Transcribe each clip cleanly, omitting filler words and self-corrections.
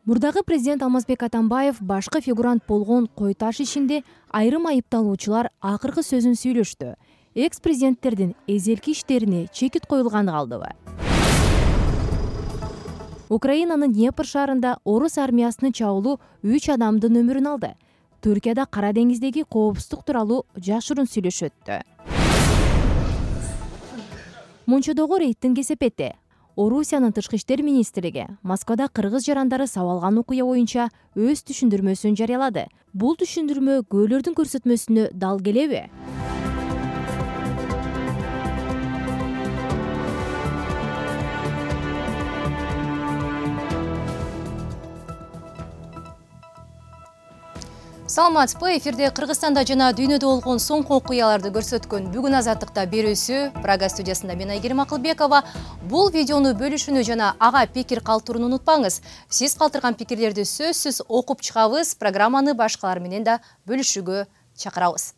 Мурдагы президент Алмазбек Атамбаев башкы фигурант болгон Кой Таш ишинде айрым айыпталуучулар акыркы сөзүн сүйлөштү. Экс-президенттердин эзелки иштерине чекит коюлганы калдыбы? Украинанын Днепр шаарында орус армиясынын чабуулу 3 адамдын өмүрүн алды. Түркияда Кара деңиздеги коопсуздук тууралуу жашыруун сүйлөшүп өттү. Мончодогу рейдтин кесепети. Орусиянын тышкы иштер министрлиги Москвада кыргыз жарандары сабалган окуя боюнча өз түшүндүрмөсүн жарыялады. Бул түшүндүрмө көөлөрдүн көрсөтмөсүнө дал келеби? Саламатсызбы, эфирде Кыргызстанда жана дүйнөдө болгон соңку окуяларды көрсөткөн бүгүн азаттыкта берүүсү Прага студиясында мен Айгерим Акылбекова. Бул видеону бөлүшүүнү жана ага пикир калтырууну унутпаңыз. Сиз калтырган пикирлерди сөзсүз окуп чыгабыз, программаны башкалар менен да бөлүшүүгө чакырабыз.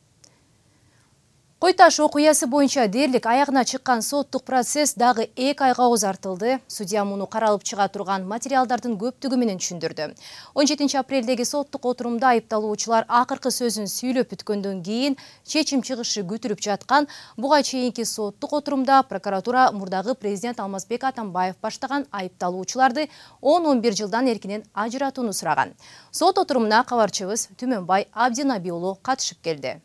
Кой Таш окуясы боюнча дээрлик аягына чыккан соттук процесс дагы 2 айга узартылды. Судья муну каралып чыга турган материалдардын көптүгү менен түшүндүрдү. 17 апрелдеги соттук отурумда айыпталуучулар акыркы сөзүн сүйлөп бүткөндөн кийин чечим чыгышы күтүлүп жаткан. Буга чейинки соттук отурумда прокуратура мурдагы президент Алмазбек Атамбаев баштаган айыпталуучуларды 10-11 жылдан эркинен ажыратууну сураган. Сот отурумуна кабарчыбыз Түмөнбай Абдинаби уулу катышып келди.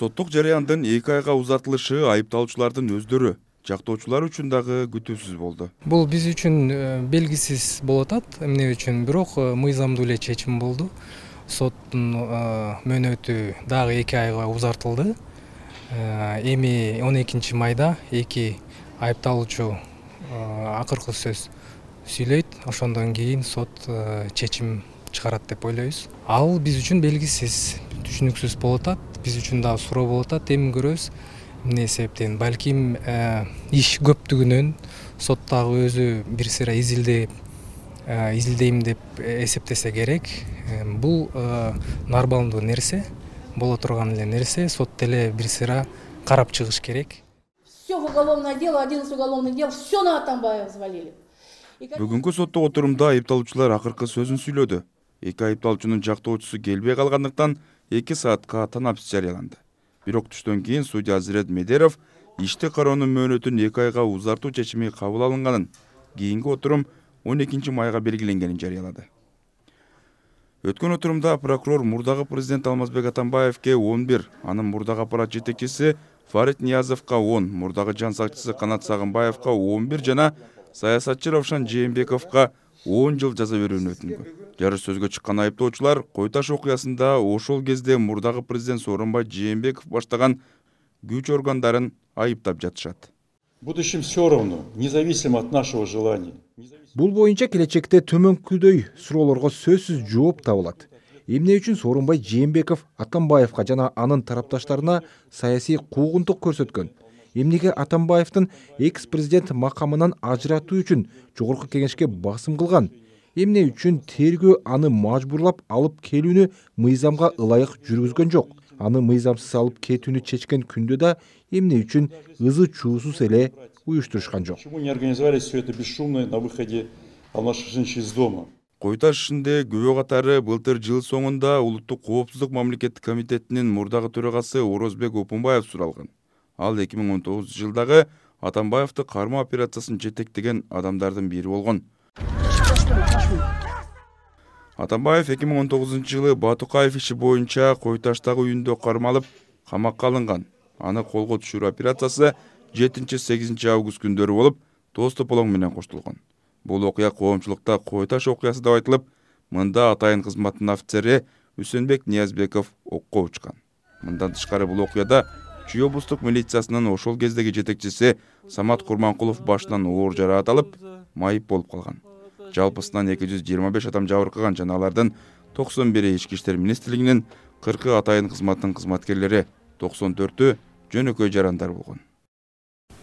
Соттук жарыяндын 2 айга узартылышы айыпталуучулардын өздөрү, жактоочулар үчүн дагы күтүүсүз болду. Бул биз үчүн белгисиз болуп атат. Эмне үчүн? Бирок мыйзамдуу эле чечим болду. Соттун мөөнөтү дагы 2 айга узартылды. Эми 12 майда 2 айыпталуучу акыркы сөз сүйлөйт. Ошондон кийин сот чечим чыгарат деп ойлойбуз. Ал биз үчүн белгисиз, түшүнүксүз болуп атат. Биз үчүн дагы суроо болуп атат. Эми көрөбүз эмне себептен. Балким иш көптүгүнөн сот дагы өзү бир сыйра изилдейм деп эсептесе керек. Бул нормалдуу нерсе, боло турган эле нерсе. Сот деле бир сыйра карап чыгыш керек. Все уголовное дело, 11 уголовных дел, все на Атамбаева взвалили. Бүгүнкү соттук отурумда айыпталуучулар акыркы сөзүн сүйлөдү. 2 айыпталуучунун жактоочусу келбей калгандыктан 2 саатка танапсыз жарыяланды. Бирок түштөн кийин судья Азирет Медеров ишти кароонун мөөнөтүн 2 айга узартуу чечими кабыл алынганын, кийинки отурум 12 майга белгиленгенин жарыялады. Өткөн отурумда прокурор мурдагы президент Алмазбек Атамбаевке 11, анын мурдагы аппарат жетекчиси Фарид Ниязовго 10, мурдагы жан сакчысы Канат Сагынбаевга 11 жана саясатчы Равшан Жээнбековго 10 жыл жаза берүүнү өтүнгөн. Жарыш сөзгө чыккан айыптоочулар Кой Таш окуясында ошол кезде мурдагы президент Сооронбай Жээнбеков баштаган күч органдарын айыптап жатышат. Будущем все равно, независимо от нашего желания. Бул боюнча келечекте төмөнкүдөй суроолорго сөзсүз жооп табылат. Эмне үчүн Сооронбай Жээнбеков Атамбаевга жана анын тарапташтарына саясий куугунтук көрсөткөн? Эмнеге Атамбаевдин экс-президент макамынан ажыратуу үчүн жогорку кеңешке басым кылган? Эмне үчүн тергөө аны мажбурлап алып келүүнү мыйзамга ылайык жүргүзгөн жок? Аны мыйзамсыз алып кетүүнү чечкен күндө да эмне үчүн ызы чуусуз эле уюштурушкан жок? Почему не организовали все это бесшумно на выходе Алмаз-Шайхинович из дома? Кой Таш ишинде күбө катары былтыр жыл соңунда Улуттук коопсуздук мамлекеттик комитетинин мурдагы төрагасы Орозбек Опунбаев суралган. Ал 2019 жылдагы Атамбаевди кармоо операциясын жетектеген адамдардын бири болгон. Атамбаев 2019 жылы Батукаев иши боюнча Кой Таштагы үйүндө кармалып, камакка алынган. Аны колго түшүрүү операциясы 7-8 август күндөрү болуп, тоз тополоң менен коштолгон. Бул окуя коомчулукта Кой Таш окуясы деп айтылып, мында атайын кызматтын офицери Үсөнбек Ниязбеков окко учкан. Мындан тышкары бул окуяда Чүй облустук милициясынын ошол кездеги жетекчиси Самат Курманкулов башынан оор жараат алып, майып болуп калган. Жалпысынан 225 адам жабыркаган жана алардын 91 ички иштер министрлигинин, 40 атайын кызматтын кызматкерлери, 94-ü жөнөкөй жарандар болгон.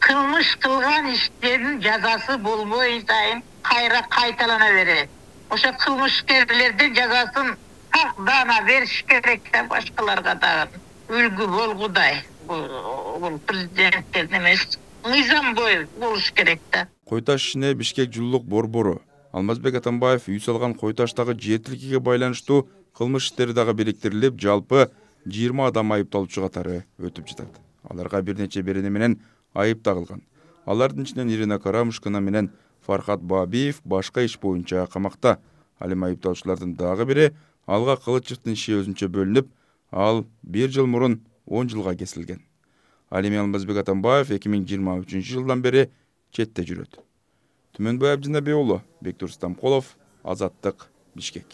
Кылмыш кылган иштердин жазасы болбой сайын кайра кайталана берет. Ошо кылмышкерлердин жазасын такдана бериш керек да башкаларга дагы. Үлгү болгудай. Бул президенттердин эмес, мыйзам бою болуш керек да. Кой Таш ишине Бишкек жылуулук борбору, Алмазбек Атамбаев үй салган кой таштагы жер тилкиге байланыштуу кылмыш иштери дагы бириктирилип, жалпы 20 адам айыпталуучу катары өтүп жатат. Аларга бир нече берене менен айып тагылган. Алардын ичинен Ирина Карамушкина менен Фархат Бабиев башка иш боюнча камакта. Ал эми айыпталуучулардын дагы бири Алга Кылычевдин иши өзүнчө бөлүнүп, ал 1 жыл мурун 10 жылга кесилген. Ал эми Алмазбек Атамбаев 2023 жылдан бери четте жүрөт. Түмөнбай Абдинабек уулу, Бектур Стамколов, Азаттык, Бишкек.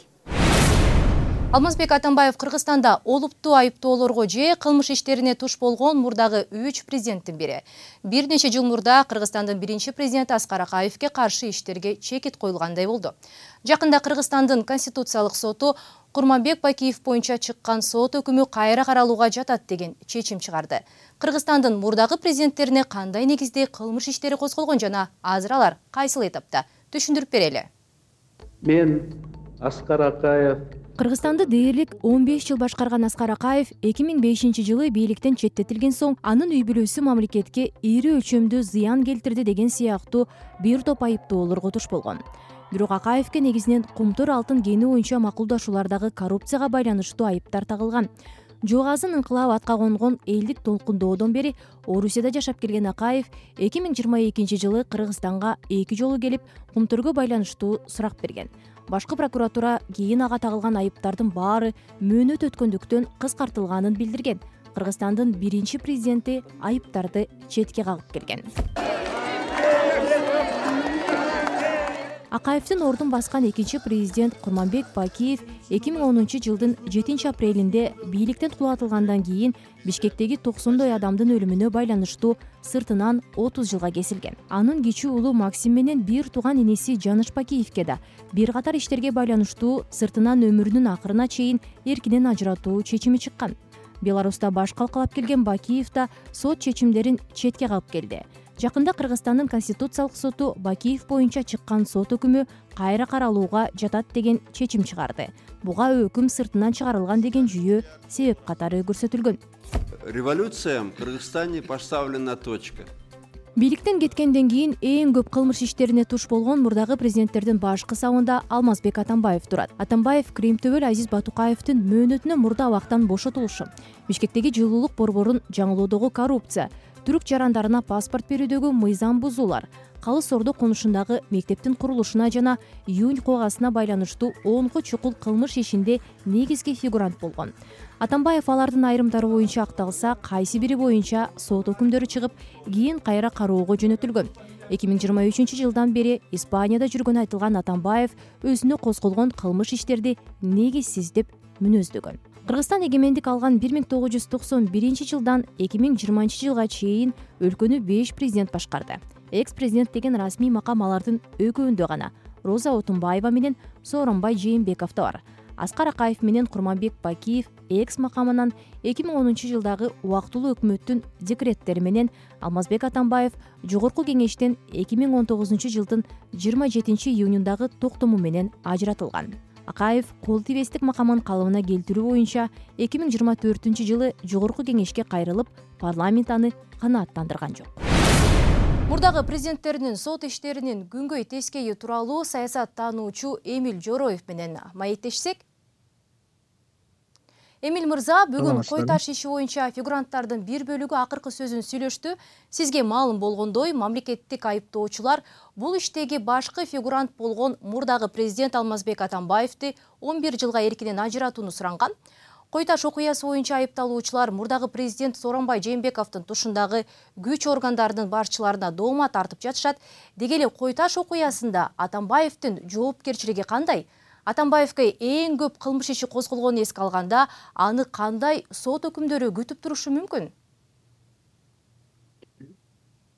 Алмазбек Атамбаев Кыргызстанда олуптуу айыптоолорго же кылмыш иштерине туш болгон мурдагы 3 президенттин бири. Бир нече жыл мурда Кыргызстандын биринчи президенти Аскар Акаевке каршы иштерге чекит коюлгандай болду. Жакында Кыргызстандын Конституциялык соту Курманбек Бакиев боюнча чыккан сот өкүмү кайра каралууга жатат деген чечим чыгарды. Кыргызстандын мурдагы президенттерине кандай негизде кылмыш иштери козголгон жана азыр алар кайсыл этапта? Түшүндүрүп берели. Мен Аскар Акаев. Кыргызстанды дээрлик 15 жыл башкарган Аскар Акаев 2005-жылы бийликтен четтетилген соң анын үй бүлөсү мамлекетке ири өлчөмдүү зыян келтирди деген сыяктуу бир топ айыптоолорго туш болгон. Бирок Акаевке негизинен Кумтур алтын кени боюнча макулдашуулардагы коррупцияга байланыштуу айыптар тагылган. Жогазын ыңкылап атка конгон элдик толкундоодон бери Орусияда жашап келген Акаев 2022 жылы Кыргызстанга 2 жолу келип, Кумтурго байланыштуу сурак берген. Башкы прокуратура кийин ага тагылган айыптардын баары мөөнөт өткөндүктөн кыскартылганын билдирген. Кыргызстандын биринчи президенти айыптарды четке кагып келген. Акаевдин ордун баскан экинчи президент Курманбек Бакиев 2010 жылдын 7 апрелинде бийликтен кулатылгандан кийин Бишкектеги 90 адамдын өлүмүнө байланыштуу сыртынан 30 жылга кесилген. Анын кичүү уулу Максим менен бир тууган инеси Жаныш Бакиевке да бир катар иштерге байланыштуу сыртынан өмүрүнүн акырына чейин эркинен ажыратуу чечими чыккан. Беларуста баш калкалап келген Бакиев да сот чечимдерин четке кагып келди. Жакында Кыргызстандын Конституциялык соту Бакиев боюнча чыккан сот өкүмү кайра каралууга жатат деген чечим чыгарды. Буга өкүм сыртынан чыгарылган деген жүйө себеп катары көрсөтүлгөн. Революциям в Кыргызстане поставлена точка. Бийликтен кеткенден кийин эң көп кылмыш иштерине туш болгон мурдагы президенттердин башкы сабында Алмазбек Атамбаев турат. Атамбаев Кремтөбөл Азиз Батукаевдин мөөнөтүнө мурда абактан бошотулушу, Бишкектеги жылуулук борборун жаңылоодогу коррупция, түрк жарандарына паспорт берүүдөгү мыйзам бузуулар, Калыс Ордо конушундагы мектептин курулушуна жана июнь куугасына байланыштуу 10 чукул кылмыш ишинде негизги фигурант болгон. Атамбаев алардын айрымдары боюнча акталса, кайсы бири боюнча сот өкүмдөрү чыгып, кийин кайра кароого жөнөтүлгөн. 2023 жылдан бери Испанияда жүргөн айтылган Атамбаев өзүнө козголгон кылмыш иштерди негизсиз деп мүнөздөгөн. Кыргызстан эгемендик алган 1991 жылдан 2020 жылга чейин өлкөнү 5 президент башкарды. Экс-президент деген расмий макам алардын экөөндө гана Роза Отунбаева менен Сооронбай Жээнбековдо бар. Аскар Акаев менен Курманбек Бакиев экс макамынан 2010 жылдагы убактылуу өкмөттүн декреттери менен, Алмазбек Атамбаев Жогорку кеңештен 2019 жылдын 27 июнундагы токтому менен ажыратылган. Акаев кол тийбестик макамын калыбына келтирүү боюнча 2024 жылы Жогорку кеңешке кайрылып, парламент аны канааттандырган жок. Мурдагы президенттеринин сот иштеринин күнгөй тескейи тууралуу саясаттануучу Эмиль Жороев менен маектешсек. Эмиль мырза, бүгүн кой таш иши боюнча фигуранттардын бир бөлүгү акыркы сөзүн сүйлөштү. Сизге маалым болгондой, мамлекеттик айыптоочулар бул иштеги башкы фигурант болгон мурдагы президент Алмазбек Атамбаевди 11 жылга эркинен ажыратууну суранган. Кой таш окуясы боюнча айыпталуучулар мурдагы президент Сооронбай Жээнбековдун тушундагы күч органдарынын башчыларына доомат тартып жатышат. Деги эле кой таш окуясында Атамбаевдин жоопкерчилиги кандай? Атамбаевге эң көп кылмыш иши козголгонун эске алганда, аны кандай сот өкүмдөрү күтүп турушу мүмкүн?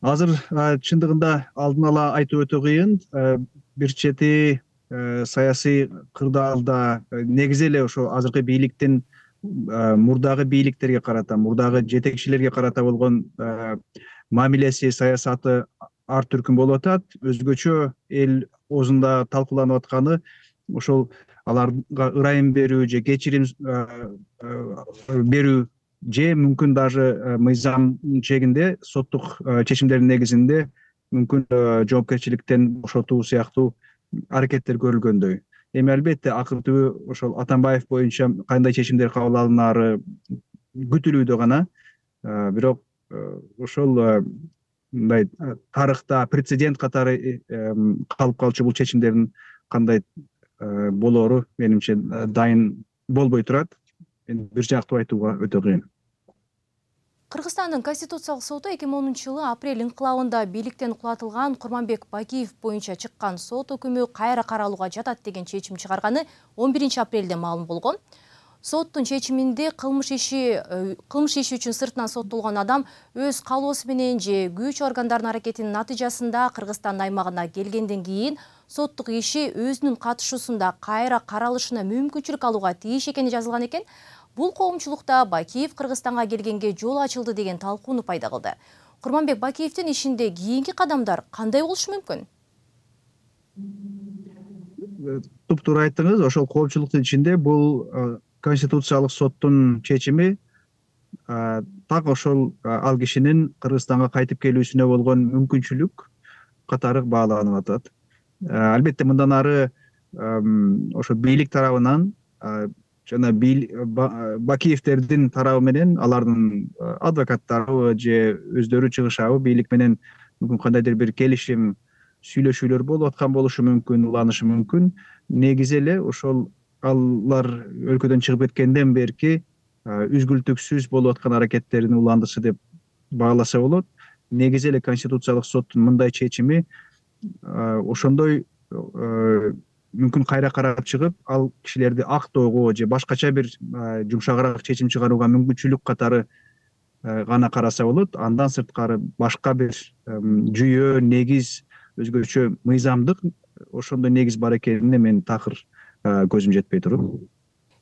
Азыр чындыгында алдын ала айтуу өтө кыйын. Бир чети саясий кырдаалда негизи эле ошо азыркы бийликтин мурдагы бийликтерге карата, мурдагы жетекчилерге карата болгон мамилеси, саясаты ар түркүн болуп атат. Өзгөчө эл оозунда талкууланып атканы ошол аларга ырайым берүү же кечирим берүү же мүмкүн даже мыйзам чегинде соттук чечимдердин негизинде мүмкүн жоопкерчиликтен бошотуу сыяктуу аракеттер көрүлгөндөй. Эми албетте акыр түбү ошол Атамбаев боюнча кандай чечимдер кабыл алынары күтүлүүдө гана. Бирок ошол мындай тарыхта прецедент катары калып калчу бул чечимдердин кандай болоору менимче дайын болбой турат. Бир жактуу айтууга өтө кыйын. Кыргызстандын Конституциялык соту 2010-жылы апрель инкылабында бийликтен кулатылган Курманбек Бакиев боюнча чыккан сот өкүмү кайра каралууга жатат деген чечим чыгарганы 11 апрелде маалым болгон. Соттун чечиминде кылмыш иши үчүн сыртынан соттолгон адам өз каалоосу менен же күч органдарынын аракетинин натыйжасында Кыргызстан аймагына келгенден кийин соттук иши өзүнүн катышуусунда кайра каралышына мүмкүнчүлүк алууга тийиш экени жазылган экен. Бул коомчулукта Бакиев Кыргызстанга келгенге жол ачылды деген талкууну пайда кылды. Курманбек Бакиевдин ишинде кийинки кадамдар кандай болушу мүмкүн? Туптуура айттыңыз. Ошол коомчулуктун ичинде бул Конституциялык соттун чечими так ошол ал кишинин Кыргызстанга кайтып келүүсүнө болгон мүмкүнчүлүк катары бааланып атат. Албетте мындан ары ошо бийлик тарабынан жана Бакиевдердин тарабы менен алардын адвокаттары же өздөрү чыгышабы бийлик менен мүмкүн кандайдыр бир келишим сүйлөшүүлөр болуп аткан болушу мүмкүн, уланышы мүмкүн. Негизи эле ошол алар өлкөдөн чыгып кеткенден берки үзгүлтүксүз болуп аткан аракеттердин уландысы деп бааласа болот. Негизи эле Конституциялык соттун мындай чечими ошондой мүмкүн кайра карап чыгып, ал кишилерди актоого же башкача бир жумшагыраак чечим чыгарууга мүмкүнчүлүк катары гана караса болот. Андан сырткары башка бир жүйө, негиз, өзгөчө мыйзамдык ошондой негиз бар экенине мен такыр көзүм жетпей туруп.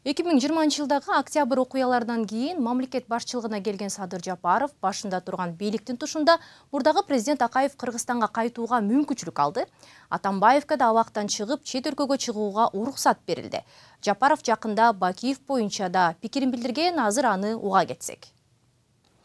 2020-жылдагы октябрь окуяларынан кийин мамлекет башчылыгына келген Садыр Жапаров башында турган бийликтин тушунда мурдагы президент Акаев Кыргызстанга кайтууга мүмкүнчүлүк алды. Атамбаевка да абактан чыгып, чет өлкөгө чыгууга уруксат берилди. Жапаров жакында Бакиев боюнча да пикирин билдирген, азыр аны уга кетсек.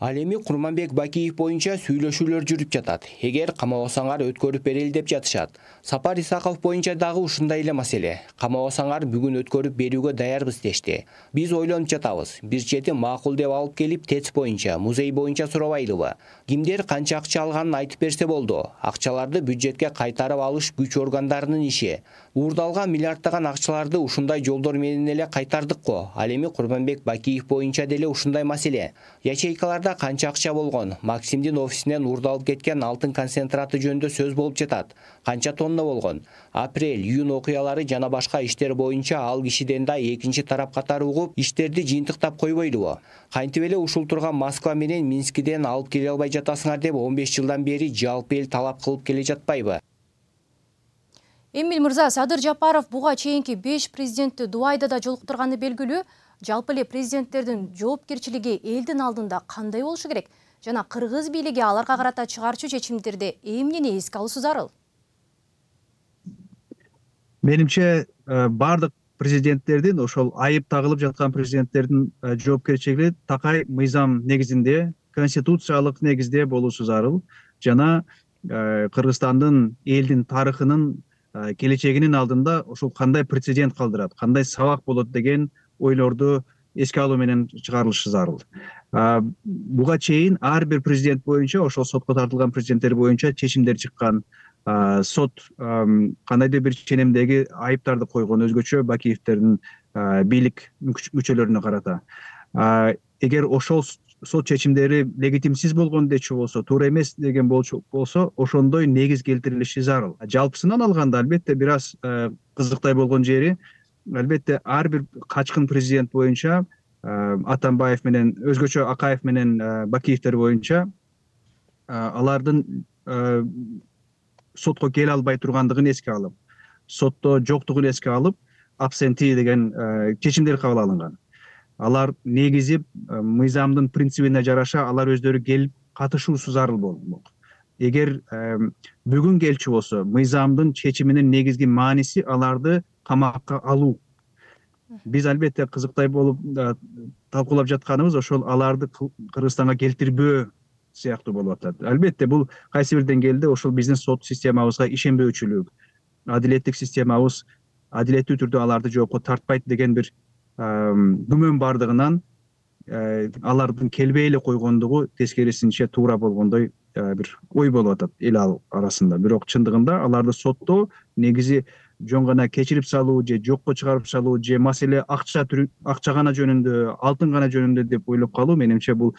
Ал эми Курманбек Бакиев боюнча сүйлөшүүлөр жүрүп жатат. Эгер камабасаңар өткөрүп берели деп жатышат. Сапар Исаков боюнча дагы ушундай эле маселе. Камабасаңар бүгүн өткөрүп берүүгө даярбыз дешти. Биз ойлонуп жатабыз. Бир чети макул деп алып келип ТЭЦ боюнча, музей боюнча сурабайлыбы? Кимдер канча акча алганын айтып берсе болду. Акчаларды бюджетке кайтарып алыш күч органдарынын иши. Уурдалган миллиарддаган акчаларды ушундай жолдор менен эле кайтардык го. Ал эми Курманбек Бакиев боюнча деле ушундай маселе. Ячейкаларда канча акча болгон? Максимдин офисинен уурдалып кеткен алтын концентраты жөнүндө сөз болуп жатат. Канча тонна болгон? Апрель, июнь окуялары жана башка иштер боюнча ал кишиден да экинчи тарап катары угуп, иштерди жыйынтыктап койбойлубу? Кантип эле ушул турган Москва менен Минскиден алып келе албай жатасыңар деп 15 жылдан бери жалпы эл талап кылып келе жатпайбы? Эмил мырза, Садыр Жапаров буга чейинки 5 президентти Дубайда да жолуктурганы белгилүү. Жалпы эле президенттердин жоопкерчилиги элдин алдында кандай болушу керек? Жана кыргыз бийлиги аларга карата чыгарчу чечимдерде эмнени эске алуусу зарыл? Менимче бардык президенттердин, ошол айып тагылып жаткан президенттердин жоопкерчилиги такай мыйзам негизинде, конституциялык негизде болуусу зарыл. Жана Кыргызстандын элдин тарыхынын келечегинин алдында ошол кандай прецедент калдырат, кандай сабак болот деген ойлорду эске алуу менен чыгарылышы зарыл. Буга чейин ар бир президент боюнча, ошол сотко тартылган президенттер боюнча чечимдер чыккан. Сот кандайдыр бир ченемдеги айыптарды койгон, өзгөчө Бакиевдердин бийлик мүчөлөрүнө карата. Эгер ошол сот чечимдери легитимсиз болгон дечү болсо, туура эмес деген болсо, ошондой негиз келтирилиши зарыл. Жалпысынан алганда албетте бир аз кызыктай болгон жери, албетте ар бир качкын президент боюнча Атамбаев менен, өзгөчө Акаев менен Бакиевдер боюнча алардын сотко келе албай тургандыгын эске алып, сотто жоктугун эске алып, абсенти деген чечимдер кабыл алынган. Алар негизи мыйзамдын принцибине жараша алар өздөрү келип катышуусу зарыл болмок. Эгер бүгүн келчү болсо, мыйзамдын чечиминин негизги мааниси аларды камакка алуу. Биз албетте кызыктай болуп талкуулап жатканыбыз ошол аларды Кыргызстанга келтирбөө сыяктуу болуп атат. Албетте бул кайсы бир деңгээлде ошол биздин сот системабызга ишенбөөчүлүк, адилеттик системабыз адилеттүү түрдө аларды жоопко тартпайт деген бир күмөн бардыгынан алардын келбей эле койгондугу тескерисинче туура болгондой бир ой болуп атат эл арасында. Бирок чындыгында аларды соттоо негизи жөн гана кечирип салуу же жокко чыгарып салуу же маселе акча гана жөнүндө, алтын гана жөнүндө деп ойлоп калуу менимче бул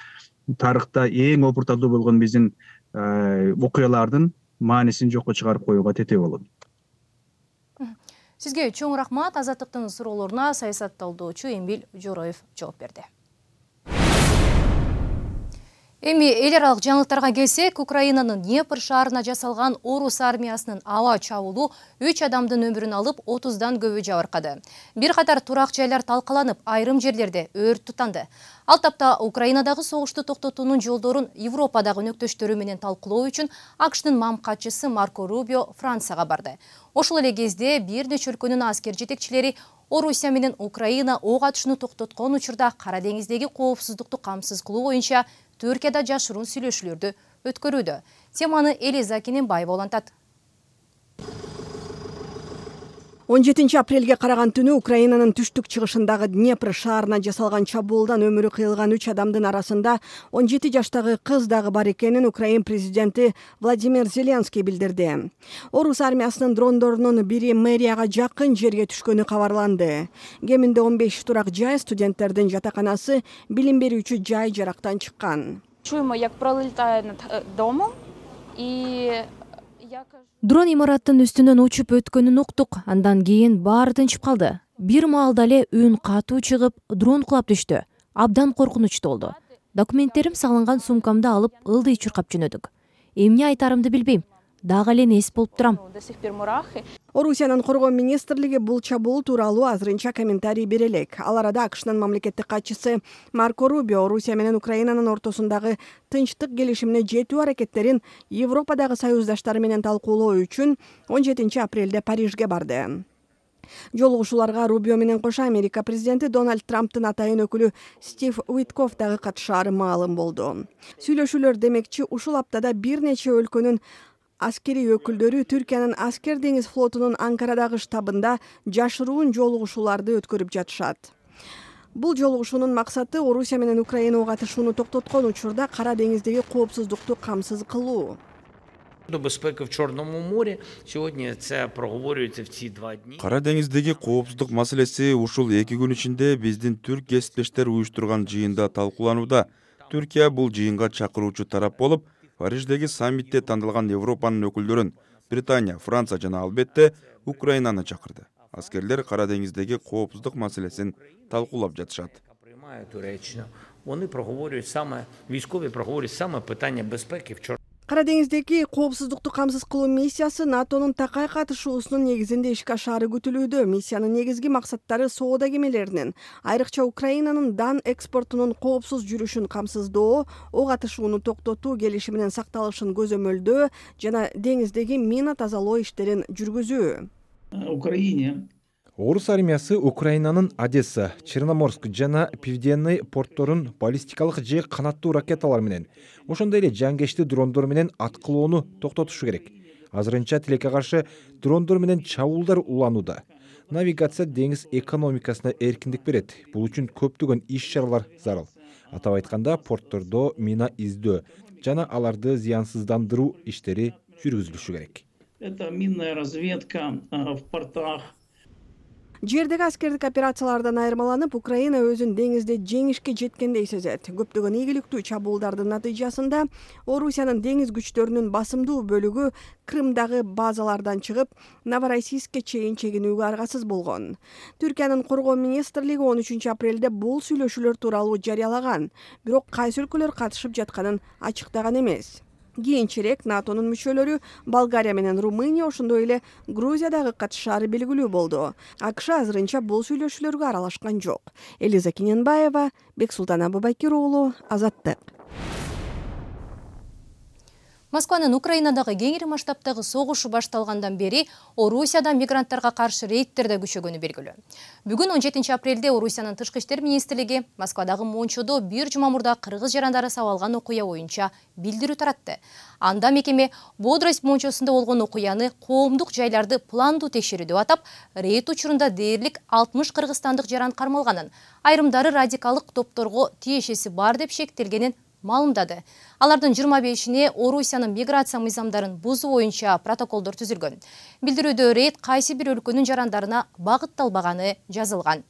тарыхта эң опурталдуу болгон биздин окуялардын маанисин жокко чыгарып коюуга тете болот. Сизге чоң рахмат. Азаттыктын суроолоруна саясаттоодочу Эмил Жороев жооп берди. Эми эл аралык жаңылыктарга келсек, Украинанын Днепр шаарына жасалган орус армиясынын аба чабуулу 3 адамдын өмүрүн алып, 30дан көбү жабыркады. Бир катар турак жайлар талкаланып, айрым жерлерде өрт тутанды. Ал тапта Украинадагы согушту токтотуунун жолдорун Европадагы өнөктөштөрү менен талкуулоо үчүн АКШтын мамкатчысы Марко Рубио Францияга барды. Ошол эле кезде бир нече өлкөнүн аскер жетекчилери Орусия менен Украина ок атышууну токтоткон учурда Кара деңиздеги коопсуздукту камсыз кылуу боюнча Түркияда жашыруун сүйлөшүүлөрдү өткөрүүдө. Теманы Элиза Кененбаева улантат. 17 апрелге караган түнү Украинанын түштүк чыгышындагы Днепр шаарына жасалган чабуулдан өмүрү кыйылган 3 адамдын арасында 17 жаштагы кыз дагы бар экенин Украин президенти Владимир Зеленский билдирди. Орус армиясынын дрондорунун бири мэрияга жакын жерге түшкөнү кабарланды. Кеминде 15 турак жай, студенттердин жатаканасы, билим берүүчү жай жарактан чыккан. Чуємо, як пролетає над домом і Дрон имараттын үстүнөн учуп өткөнүн уктук. Андан кийин баары тынчып калды. Бир маалда эле үн катуу чыгып, дрон кулап түштү. Абдан коркунучтуу болду. Документтерим салынган сумкамды алып, ылдый чуркап жөнөдүк. Эмне айтарымды билбейм. Дагы эле нес болуп турам. Орусиянын коргоо министрлиги бул чабуул тууралуу азырынча комментарий бере элек. Ал арада АКШнын мамлекеттик катчысы Марко Рубио Орусия менен Украинанын ортосундагы тынчтык келишимине жетүү аракеттерин Европадагы союздаштары менен талкуулоо үчүн 17 апрелде Парижге барды. Жолугушууларга Рубио менен кошо Америка президенти Дональд Трамптын атайын өкүлү Стив Уиткоф дагы катышаары маалым болду. Сүйлөшүүлөр демекчи ушул аптада бир нече өлкөнүн аскери өкүлдөрү Түркиянын аскер деңиз флотунун Анкарадагы штабында жашыруун жолугушууларды өткөрүп жатышат. Бул жолугушуунун максаты Орусия менен Украина ок атышууну токтоткон учурда Кара деңиздеги коопсуздукту камсыз кылуу. До безпеки в Чорному морі сьогодні це проговорюється в ці 2 дні. Кара деңиздеги коопсуздук маселеси ушул 2 күн ичинде биздин түрк кесиптештер уюштурган жыйында талкууланууда. Түркия бул жыйынга чакыруучу тарап болуп, Париждеги саммитте тандалган Европанын өкүлдөрүн Британия, Франция жана албетте Украинаны чакырды. Аскерлер Кара деңиздеги коопсуздук маселесин талкуулап жатышат. Вони проговорюють саме, військові проговорюють саме питання безпеки в Чорному. Кара деңиздеги коопсуздукту камсыз кылуу миссиясы НАТОнун такай катышуусунун негизинде ишке ашаары күтүлүүдө. Миссиянын негизги максаттары соода кемелеринин, айрыкча Украинанын дан экспортунун коопсуз жүрүшүн камсыздоо, ок атышууну токтотуу келишиминин сакталышын көзөмөлдөө жана деңиздеги мина тазалоо иштерин жүргүзүү. Орус армиясы Украинанын Одесса, Черноморск жана Пивденный портторун баллистикалык же канаттуу ракеталар менен, ошондой эле жангечти дрондор менен аткылоону токтотушу керек. Азырынча тилекке каршы дрондор менен чабуулдар уланууда. Навигация деңиз экономикасына эркиндик берет. Бул үчүн көптөгөн иш-чаралар зарыл. Атап айтканда, порттордо мина издөө жана аларды зыянсыздандыруу иштери жүргүзүлүшү керек. Это минная разведка в портах. Жердеги аскердик операциялардан айырмаланып, Украина өзүн деңизде жеңишке жеткендей сезет. Көптөгөн ийгиликтүү чабуулдардын натыйжасында Орусиянын деңиз күчтөрүнүн басымдуу бөлүгү Крымдагы базалардан чыгып, Новороссийскке чейин чегинүүгө аргасыз болгон. Түркиянын коргоо министрлиги 13 апрелде бул сүйлөшүүлөр тууралуу жарыялаган, бирок кайсы өлкөлөр катышып жатканын ачыктаган эмес. Кийинчерээк НАТОнун мүчөлөрү Болгария менен Румыния, ошондой эле Грузиядагы катышаары белгилүү болду. АКШ азырынча бул сүйлөшүүлөргө аралашкан жок. Элиза Кененбаева, Бексултан Абубакир уулу, Азаттык. Москванын Украинадагы кеңири масштабтагы согушу башталгандан бери Орусияда мигранттарга каршы рейдтерде күчөгөнү белгилүү. Бүгүн 17 апрелде Орусиянын тышкы иштер министрлиги Москвадагы Мончодо бир жума мурда кыргыз жарандары сабалган окуя боюнча билдирүү таратты. Анда мекеме Бодрость Мончосунда болгон окуяны коомдук жайларды пландуу текшерүү деп атап, рейд учурунда дээрлик 60 кыргызстандык жаран кармалганын, айрымдары радикалдык топторго тиешеси бар деп шектелгенин маалымдады. Алардын 25-ине Орусиянын миграция мыйзамдарын бузуу боюнча протоколдор түзүлгөн. Билдирүүдө рейд кайсы бир өлкөнүн жарандарына багытталбаганы жазылган.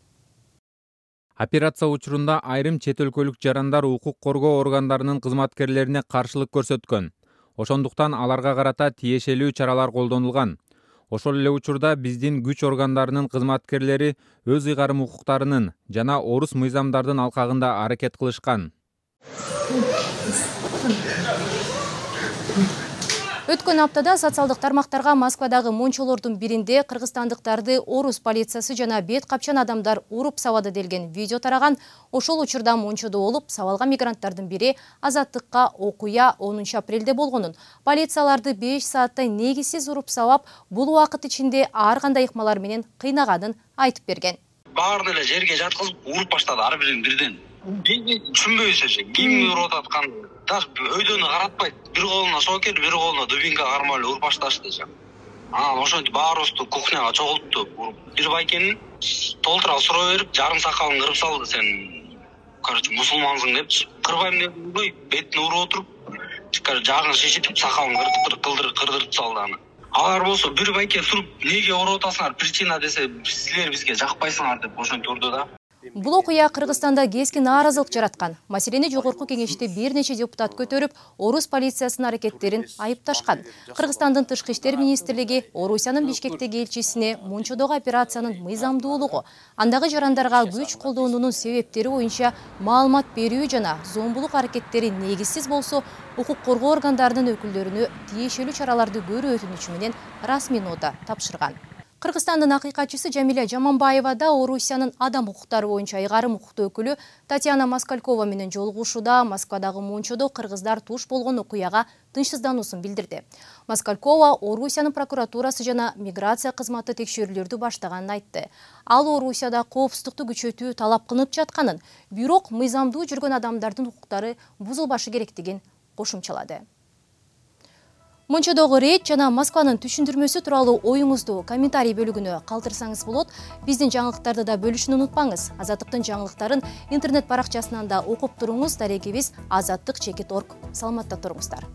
Операция учурунда айрым чет өлкөлүк жарандар укук коргоо органдарынын кызматкерлерине каршылык көрсөткөн. Ошондуктан аларга карата тиешелүү чаралар колдонулган. Ошол эле учурда биздин күч органдарынын кызматкерлери өз ыйгарым укуктарынын жана орус мыйзамдардын алкагында аракет кылышкан. Өткөн аптада социалдык тармактарга Москвадагы мончолордун биринде кыргызстандыктарды орус полициясы жана бет капчан адамдар уруп сабады делген видео тараган. Ошол учурда Мончодо болуп сабалган мигранттардын бири Азаттыкка окуя 10 апрелде болгонун, полицияларды 5 сааттай негизсиз уруп сабап, бул убакыт ичинде ар кандай ыкмалар менен кыйнаганын айтып берген. Баарын эле жерге жаткызып уруп баштады ар бирин бирден. Түшүнбөйсүз, ким уруп аткан, так өйдөнү каратпайт. Бир колуна сокер, бир колуна дубинка кармап эле уруп башташты. Анан ошентип баарыбызды кухняга чогултту. Бир байкенин толтура суроо берип, жарым сакалын кырып салды. Сен, короче, мусулмансың деп, кырбайм деп, бетине уруп отуруп, жагын шишитип, сакалын кырдырып салды аны. Алар болсо бир байке туруп, неге уруп атасыңар, причина десе, силер бизге жакпайсыңар деп ошентип урду да. Бул окуя Кыргызстанда кескен нааразылык жараткан. Маселени жогорку кеңеште бир нече депутат көтөрүп, орус полициясынын аракеттерин айыпташкан. Кыргызстандын тышкы иштер министрлиги Орусиянын Бишкектеги элчисине Мончодогу операциянын мыйзамдуулугу, андагы жарандарга күч колдонуунун себептери боюнча маалымат берүү жана зомбулук аракеттери негизсиз болсо, укук коргоо органдарынын өкүлдөрүнө тиешелүү чараларды көрүү өтүнүчү менен расмий нота тапшырган. Кыргызстандын акыйкатчысы Жамиля Жаманбаева да Орусиянын адам укуктары боюнча ыйгарым укуктуу өкүлү Татьяна Москалькова менен жолугушууда Москвадагы Мончодо кыргыздар туш болгон окуяга тынчсыздануусун билдирди. Москалькова Орусиянын прокуратурасы жана миграция кызматы текшерүүлөрдү баштаганын айтты. Ал Орусияда коопсуздукту күчөтүү талап кылынып жатканын, бирок мыйзамдуу жүргөн адамдардын укуктары бузулбашы керектигин кошумчалады. Мончодогу рейд жана Москванын түшүндүрмөсү тууралуу оюңузду комментарий бөлүгүнө калтырсаңыз болот. Биздин жаңылыктарды да бөлүшүүнү унутпаңыз. Азаттыктын жаңылыктарын интернет баракчасынан да окуп туруңуз. Дарегибиз azattik.org. Саламатта туруңуздар.